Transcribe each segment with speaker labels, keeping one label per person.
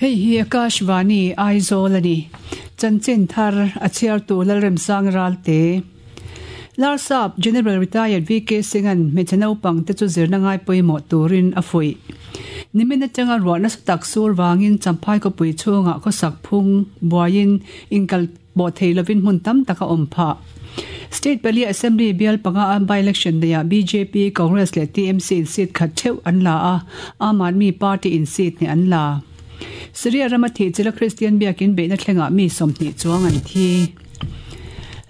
Speaker 1: Hei hi Akashvani Aizawl a ni. Chanchin thar a chhiartu Lalremsang Ralte. Larsap General Retired VK Singh-a'n hmeichhe naupang te chu zirna ngai pawimawh turin a fuih. Nimin atanga ruah nasa tak sur vangin Champhai khawpui chhungah khawsak phung buaiin inkal pawh thei lovin hmun tam tak a awm phah. State pali Assembly bial panga a by-election neiah bjp, Congress leh TMC in seat khat theuh an la a, Aam Aadmi Party in seat hnih an la. Syria rama thih chila Kristian biakin beihna thlengah mi 20 chuang an thi.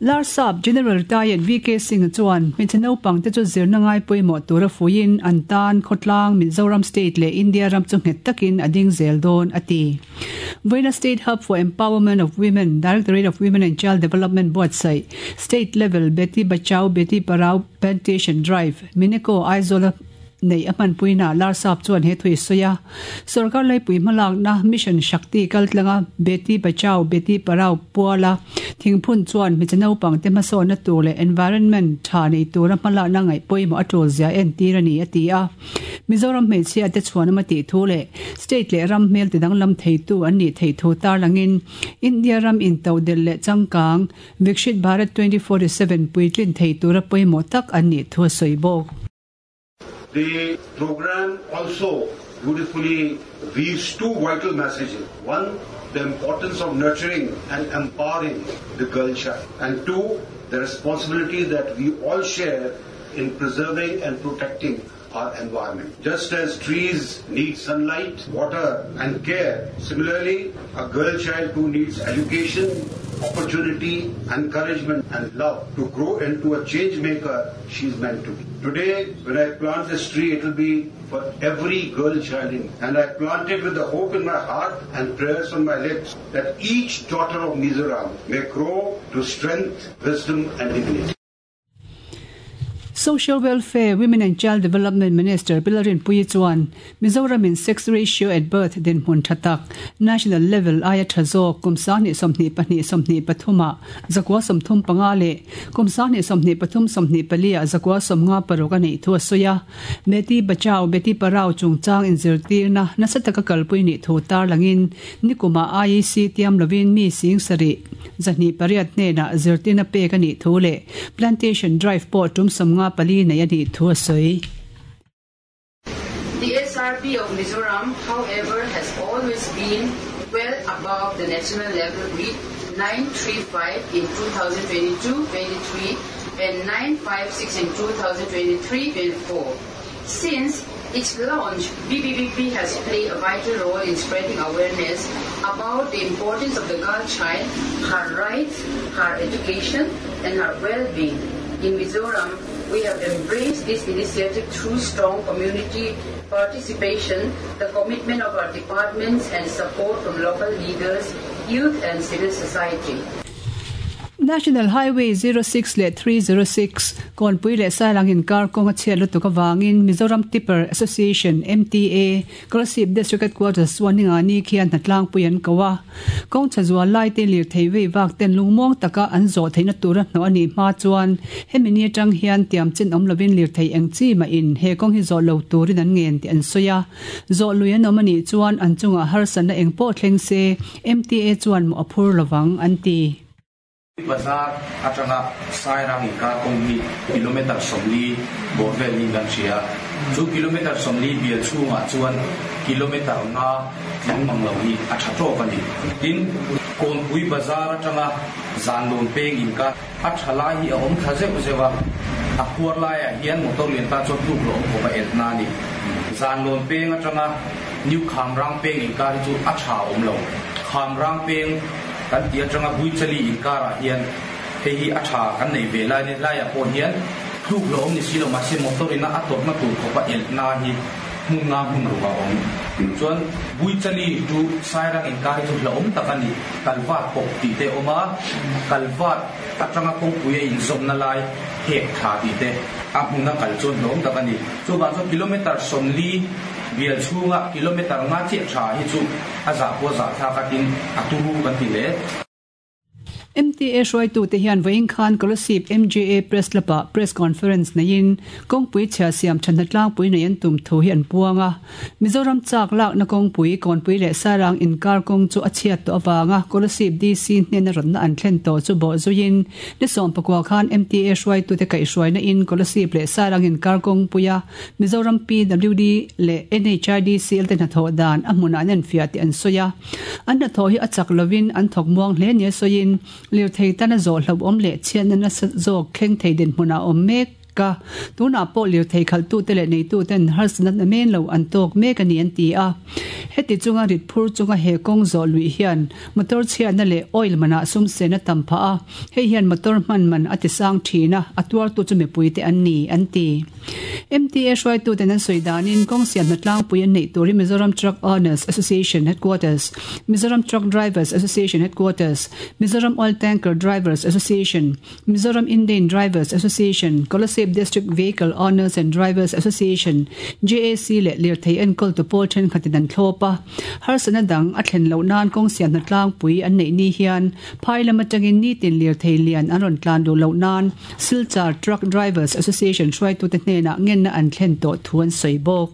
Speaker 1: Larsap General Retired VK Singh chuan hmeichhe naupang te chu zirna ngai pawimawh tura fuiin an tan khawtlang Mizoram State leh India ram chu nghet takin a ding zel dawn a ti. Vawiina State Hub for Empowerment of Women, Directorate of Women and Child Development buatsaih State Level Beti Bachao Beti Parao Plantation Drive, Mineko, Aizawl-a neih a hmanpuinaah Larsap chuan he thu i sawi a. Sorkar laipui hmalakna Mission Shakti kaltlanga Beti Bachao Beti Parao puala thingphun chuan hmeichhe naupangte hmasawnna tur leh environment tha nei tura hmalakna ngaih pawimawh a tul zia entir a ni a ti a. Mizoram hmeichhia te chhuan awm a tih thu leh state leh ram hmel tidanglam theitu an nih theih thu tarlangin India ram intodelh leh changkang Vikshit Bharat 2047 puitlin thei tura pawimawh tak an nih thu a sawi bawk.
Speaker 2: The program also beautifully weaves two vital messages. One, the importance of nurturing and empowering the girl child. And two, the responsibility that we all share in preserving and protecting our environment. Just as trees need sunlight, water and care, similarly, a girl child who needs education, opportunity, encouragement and love to grow into a change maker she is meant to be. Today, when I plant this tree, it will be for every girl child in. And I plant it with the hope in my heart and prayers on my lips that each daughter of Mizoram may grow to strength, wisdom and dignity.
Speaker 1: Social Welfare, Women and Child Development Minister Pi Lalrinpuii chuan Mizoram in sex ratio at birth dinhmun tha tak, national level aia tha zawk kum 2022 23 ah 35 leh kum 2023 24 ah 56 a neih thu a sawi a. Beti Bachao Beti Parao chungchang inzirtirna nasa taka kalpui nih thu tarlangin nikumah IEC tiam lovin mi sing sarih 208 hnenah zirtirna pek a nih thu leh Plantation Drive pawh tum 54 nei a nih thu a sawi.
Speaker 3: The SRP of Mizoram, however, has always been well above the national level with 935 in 2022-23 and 956 in 2023-24. Since its launch, BBBP has played a vital role in spreading awareness about the importance of the girl child, her rights, her education, and her well-being. In Mizoram, we have embraced this initiative through strong community participation, the commitment of our departments, and support from local leaders, youth, and civil society.
Speaker 1: National Highway 06 leh 306, Kawnpui leh Sairang inkar kawng a chhiat lutuk avangin Mizoram Tipper Association, MTA, Kolasib District Headquarters chuan ninga ni khian hnatlangpui an ko a. Kawng chha zual lai te lirthei vei vak ten lungmuang taka an zawh theihna tura hnawh a nih hma chuan hemi ni atang hian tiam chin awm lovin lirthei eng chi mahin he kawng hi zawh lo turin an ngen tih an sawi a. Zawh lui an awm a nih chuan an chungah harsatna eng pawh thleng se MTA chuan mawh a phur lovang an ti.
Speaker 4: Bazar atanga Sairang inkar kawng hi kilometre 40 bawr vel niin kan hria. Chu kilometre 40 bial chhungah chuan kilometre nga tling mang lo hi a tha tawk a ni. Tin, Kawnpui Bazar atanga Zanlawn peng inkar a tha lai hi a awm thla zeuh zeuh a, a khuar laiah hian motor lian tan chuan tluk lo awm khawp a elhna a ni. Zanlawn peng atanga New Khamrang peng inkar hi chu a tha awm lo. Khamrang peng Kan tih atanga Buichali inkarah hian hei hi a tha kan nei ve lai ni laiah pawh hian tluk lo awm ni si lo mahse motor ina a tawrhna tur khawpa elhna hi hmun nga hmun ruk a awm. Chuan Buichali chu Sairang inkar hi chu hlauhawm tak a ni. Kalvat pawp tih te a awm a, Kalvat atanga kawngpui a inzawmna lai hek tha tih te a hmuna kal chuan hlauhawm tak a ni. Chuvang chuan kilometre 40 bial chhunga kilometre nga chiah tha hi chu A zah pawh zah thlak atin a turu kan ti hle.
Speaker 1: MTA hruaitute hian vawiin khan Kolasib MJA Press Club-ah Press Conference neiin kawngpui chhia siam thatna tlangpui nei an tum thu hi an puang a. Mizoram chak lakna kawngpui, Kawnpui leh Sairang inkar kawng chu a chhiat tawh avanga Kolasib DC hnena rawtna an thlen tawh chu bawh zuiin ni 14 khan MTA hruaitute kaihhruaina in Kolasib leh Sairang inkar kawngpuia Mizoram PWD leh NHIDCL te hnathawh dan a hmunah an enfiah tih an sawi a. An hnathawh hi a chak lovin an thawk muang hle nia sawiin lirthei tana zawh hlauhawm leh chhiatna nasa zawk thleng thei dinhmunah a awm mek a. Tunah pawh lirthei khalhtute leh neituten harsatna na men lo an tawk mek a ni an ti a. Heti chunga rit phur chunga he kawng zawh luih hian motor chhiatna leh oil manah sum sen a tam phah a, hei hian motor hman man a tisang thin a, a tuartu chu mipuite an ni an ti. MTA hruaituten an sawi danin kawng siamna tlangpui an neih tur hi Mizoram Truck Owners Association Headquarters, Mizoram Truck Drivers Association Headquarters, Mizoram Oil Tanker Drivers Association, Mizoram Indane Drivers Association, Kolasib District Vehicle Owners and Drivers Association, JAC, leh lirthei enkawltu pawl thenkhatin an thlawp a. Harsatna dang a thlen loh nan kawng siamna tlangpui an neih ni hian phai lam atangin nitin lirthei lian an rawn tlan duh loh nan Silchar Truck Drivers Association hruaitute hnenah ngenna an thlen tawh thu an sawi bawk.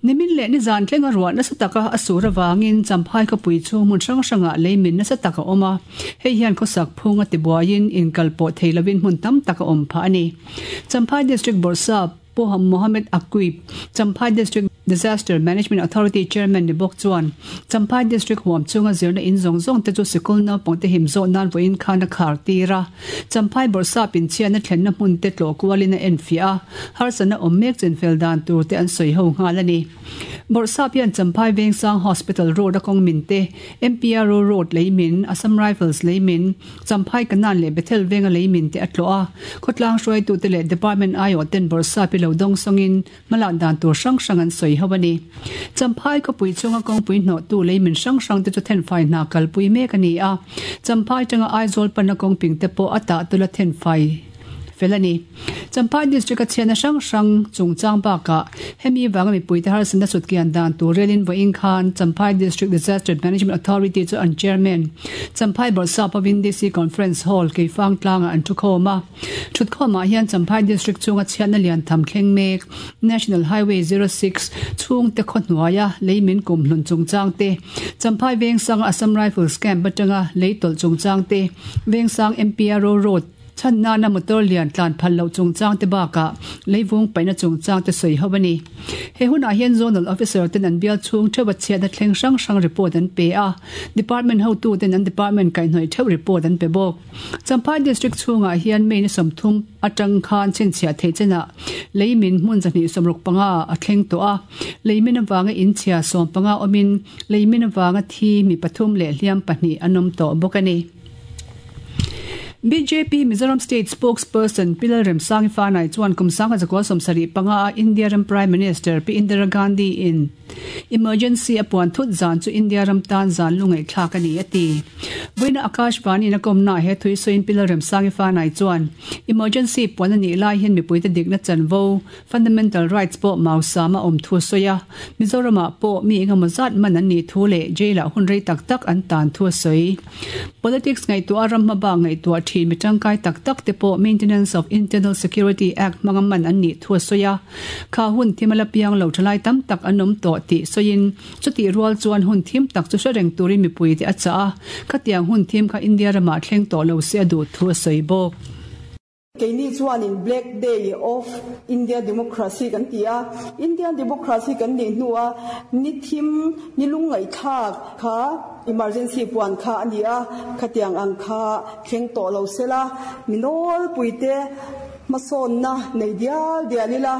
Speaker 1: Nimin leh nizan tlenga ruah nasa taka a sur avangin Champhai khawpui chu hmun hrang hrangah leimin nasa tak a awm a, hei hian khawsak phung a tibuaiin inkal pawh thei lovin hmun tam tak a awm phah a ni. Champhai District Bawrhsap Pu Mohammed Aqib, Champhai District Disaster Management Authority Chairman ni bawk chuan Champhai District huam chhunga zirna in zawng zawng te chu sikul naupang te him zawh nan vawiin khan a khar tir a. Champhai Bawrhsap inchhiatna thlenna hmun te tlawh kualin a enfiah a, harsatna awm mek chinfel dan tur te an sawi ho nghal a ni. Bawrhsap hian Champhai Vengsang Hospital Road a kawng min te, MPRO Road lei min, Assam Rifles lei min, Champhai Kanan leh Bethel venga lei min te a tlawh a, khawtlang hruaitute leh Department aiawh ten Bawrhsap hi lo dawng sawngin hmalak dan tur hrang hrang an sawi ho a ni. Champhai khawpui chhunga kawngpui hnawhtu lei min hrang hrang te chu thenfai hna kalpui mek a ni a, Champhai tanga Aizawl panna kawngping te pawh a tah tula thenfai fel a ni. Champhai District a chhiatna hrang hrang chungchang bakah hemi vanga mipuite harsatna sutkian dan tur relin vawiin khan Champhai District Disaster Management Authority chu an Chairman Champhai Bawrhsap hovin DC Conference Hall Keifang tlangah an thukhawm a. Thutkhawmah hian Champhai District chunga chhiatna lian tham thleng mek National Highway 06 chhungte khaw hnuaia lei min kum hlun chungchang te, Champhai Vengsanga Assam Rifles Camp atanga lei tawlh chungchang te, Vengsang MPRO Road, Chhan nana motor lian tlan phal loh chungchang te bakah leivung paihna chungchang te sawi ho a ni. He hunah hian Zonal Officer ten an bial chhung theuh a chhiatna thleng hrang hrang report an pe a, Department hotu ten an department kaihhnawih theuh report an pe bawk. Champhai District chhungah hian May ni 30 atang khan chhinchhiah theih chenah leimin hmun 265 a thleng tawh a, leimin avanga inchhia 15 awmin leimin avanga thi mi pathum leh hliam pahnih an awm tawh bawk a ni. Bjp Mizoram State Spokesperson Pi Lalremsangi Fanai chuan kum 1975 a India ram Prime Minister Pi Indira Gandhi in Emergency a puan thut zan chu India ram tan zan lungaihthlak a ni a ti. Vawiina Akashvani in a kawmnaah he thui sawiin Pi Lalremsangi Fanai chuan Emergency puan a nih lai hian mipuite dikna chanvo, Fundamental Rights, pawh mausam a awm thu a sawi a, Mizoramah pawh mi engemaw zat man an nih thu leh jail-ah hun rei tak tak an tan thu a sawi. Politics ngaihtuah a ram hmabak ngaihtuah thin mi tangkai tak tak te pawh Maintenance of Internal Security Act hmanga man an nih thu a sawi a. Kha hun thim a la piang lo thalai tam tak an awm tawh tih sawiin chutih rual chuan hun thim tak chu hre reng turin mipui te a chah a, khatiang hun thim kha India ramah thleng tawh lo se a duh thu a sawi bawk.
Speaker 5: Keini chuanin Black Day of India Democracy kan ti a, Indian Democracy kan nih hnua ni thim, ni lungngaihthlak kha emergency puan kha a ni a, khatiang ang kha thleng tawh lo sela, mi nawlpuite hmasawnna nei dial dial ila,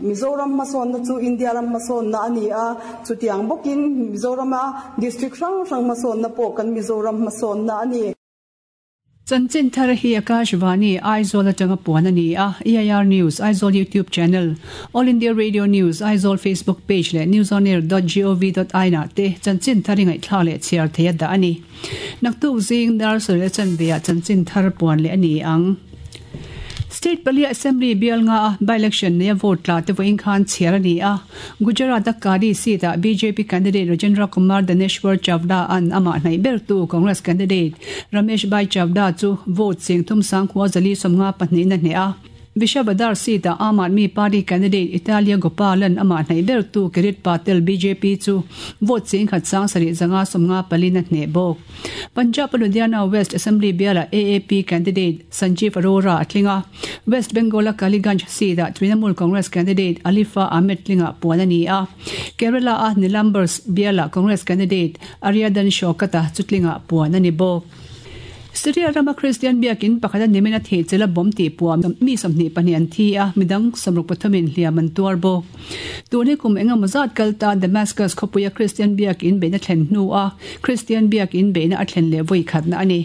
Speaker 5: Mizoram hmasawnna chu India ram hmasawnna a ni a, chutiang bawkin Mizorama district hrang hrang hmasawnna pawh kan Mizoram hmasawnna a ni.
Speaker 1: Chanchin thar hi Akashvani, Aizawl atanga puan a ni a, EIR News, Aizawl YouTube Channel, All India Radio News, Aizawl Facebook Page leh newsonair dot gov dot in ah te chanchin thar i ngaihthlak leh chhiar thei a dah a ni. Naktuk zing dar sawi leh chanve ah chanchin thar puan leh a ni ang. State palia Assembly bial nga a by-election neia vote tla te vawiin khan chhiar a ni a. Gujarat-a Kadi seat-ah bjp candidate Rajendra Kumar Daneshwar Chavda an amah hnaih bertu Congress candidate Ramesh Bhai Chavda chu vote cheng thum sang khua zali 52 na hneh a. Vishavadar seat-ah Aam Aadmi Party candidate Italia Gopalan amah hnaih bertu Kirit Patel bjp chu vote cheng khat sang sarih zanga 54 na hneh bawk. Punjab-a Ludhiana West Assembly bialah AAP candidate Sanjeev Arora a tling a, West Bengal-a Kaliganj seat-ah Trinamool Congress candidate Alifa Ahmed tlingah puan a ni a, Kerala-a Nilambur bialah Congress candidate Aryadan Shaukat-a chu tlingah puan a ni bawk. Syria rama Kristian biakin pakhata nimin a thih chela bomb tih puam mi 22 an thi a, midang 63 in hliam an tuar bawk. Tun hi kum engemaw zat kal ta Damascus khawpuia Kristian biakin beihna thlen hnua Kristian biakin beihna a thlen leh vawi khatna a ni.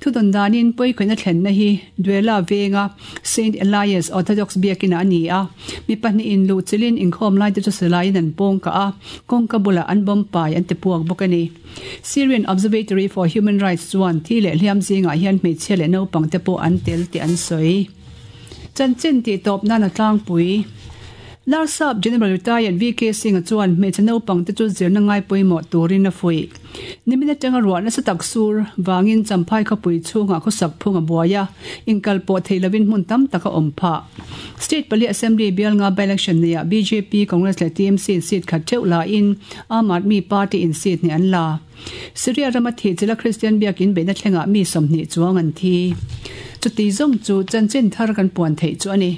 Speaker 1: Thudawn danin pawikhawihna thlenna hi Duela venga Saint Elias Orthodox biakinah a ni a, mi pahnihin luh chilhin inkhawm laite chu silaiin an pawng kah a, kawngka bulah an bomb pai an ti puak bawk a ni. Syrian Observatory for Human Rights chuan thi leh hliam zingah hian hmeichhia leh naupang te pawh an tel tih an sawi. Chanchin tih tawp nan a tlangpui. Larsap General Retired VK Singh-a chuan hmeichhe naupang te chu zirna ngai pawimawh turin a fuih. Nimin atanga ruah nasa tak sur vangin Champhai khawpui chhungah khawsak phung a buai a, inkal pawh thei lovin hmun tam tak a awm phah. State pali Assembly bial nga by-election neiah bjp, Congress leh TMC in seat khat theuh lain Aam Aadmi Party in seat hnih an la. Syria rama thih chila Kristian biakin beihna thlengah mi 20 chuang an thi. Chuti zawng chu chanchin thar kan puan theih chu a ni.